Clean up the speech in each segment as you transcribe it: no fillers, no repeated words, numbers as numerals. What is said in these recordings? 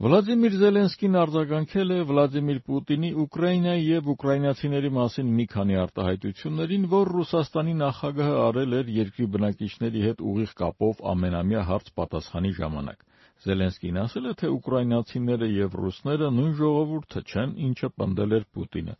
Վլադիմիր Զելենսկին արձագանքել է Վլադիմիր Պուտինի Ուկրաինայի և ուկրաինացիների մասին մի քանի արտահայտություններին, որ Ռուսաստանի նախագահը արել էր երկրի բնակիչների հետ ուղիղ կապով ամենամյա հարց-պատասխանի ժամանակ։ Զելենսկին ասել է, թե ուկրաինացիները և ռուսները նույն ժողովուրդը չեն, ինչը պնդել էր Պուտինը։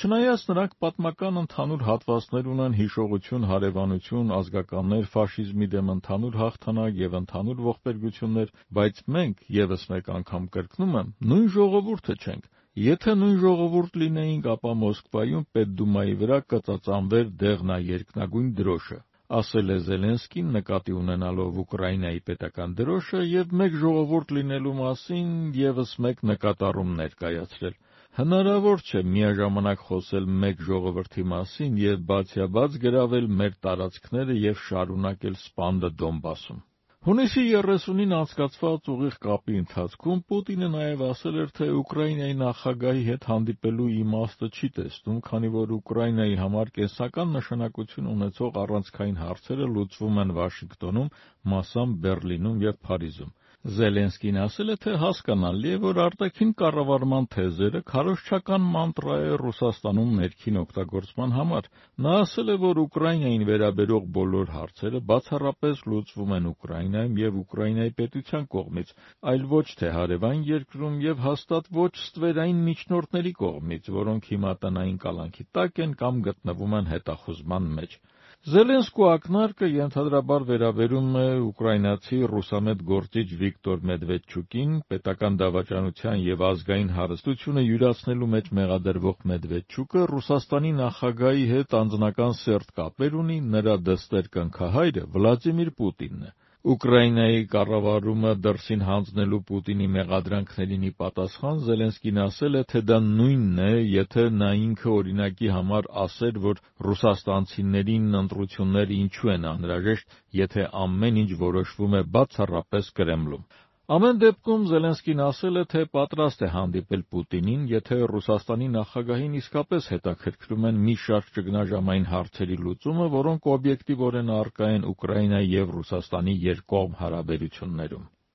Չնայած նրանք պատմական ընդհանուր հատվածներ ունեն, հիշողություն, հարևանություն, ազգականներ, ֆաշիզմի դեմ ընդհանուր հաղթանակ և ընդհանուր ողբերգություններ, բայց մենք, ևս մեկ անգամ կրկնում եմ, նույն ժողովուրդը չենք։ Եթե նույն ժողովուրդ լինեինք, ապա Մոսկվայում Պետդումայի վրա կծածանվեր դեղնաերկնագույն դրոշը, ասել է Զելենսկին, նկատի ունենալով Ուկրաինայի պետական դրոշը և մեկ ժողովուրդ լինելու մասին ևս մեկ նկատառում ներկայացրել։ Հնարավոր չէ միաժամանակ խոսել մեկ ժողովրդի մասին և բացյաբաց գրավել մեր տարածքները և շարունակել սպանդը Դոնբասում։ Հունիսի 30-ին անցկացված ուղիղ կապի ընթացքում Պուտինը նաև ասել էր, թե Ուկրաինայի նախագահի հետ հանդիպելու իմաստը չի տեսնում, քանի որ Ուկրաինայի համար կենսական նշանակություն ունեցող առանցքային հարցերը լուծվում են Վաշինգտոնում, մասամբ Բեռլինում և Փարիզում։ Զելենսկին ասել է, թե հասկանալի է, որ արտաքին կառավարման թեզերը քարոզչական մանտրա է Ռուսաստանում ներքին օգտագործման համար։ Նա ասել է, որ Ուկրաինային վերաբերող բոլոր հարցերը բացառապես լուծվում են Ուկրաինայում և Ուկրաինայի պետության կողմից, այլ ոչ թե հարևան երկրում և հաստատ ոչ ստվերային միջնորդների կողմից, որոնք հիմա տնային կալանքի տակ են կամ գտնվում են հետախուզման մեջ։ Զելենսկու ակնարկը ենթադրաբար վերաբերում է ուկրաինացի ռուսամետ գործիչ Վիկտոր Մեդվեդչուկին, պետական դավաճանության և ազգային հարստությունը յուրացնելու մեջ մեղադրվող Մեդվեդչուկը Ռուսաստանի նախագահի հետ անձնական սերտ կապեր ունի, նրա դստեր կնքահայրը Վլադիմիր Պուտինն է։ Ուկրաինայի կառավարումը դրսին հանձնելու Պուտինի մեղադրանքներին ի պատասխան Զելենսկին ասել է, թե դա նույնն է, եթե նա ինքը օրինակի համար ասեր, որ ռուսաստանցիներին ընտրությունները ինչու են անհրաժեշտ, եթե ամեն ինչ որոշվում է բացառապես Կրեմլում։ Ամեն դեպքում Զելենսկին ասել է, թե պատրաստ է հանդիպել Պուտինին, եթե Ռուսաստանի նախագահին իսկապես հետաքրքրում են մի շարք ճգնաժամային հարցերի լուծումը, որոնք օբյեկտիվորեն առկա են Ուկրաինայի և Ռուսաստանի երկկողմ հարաբերություններում։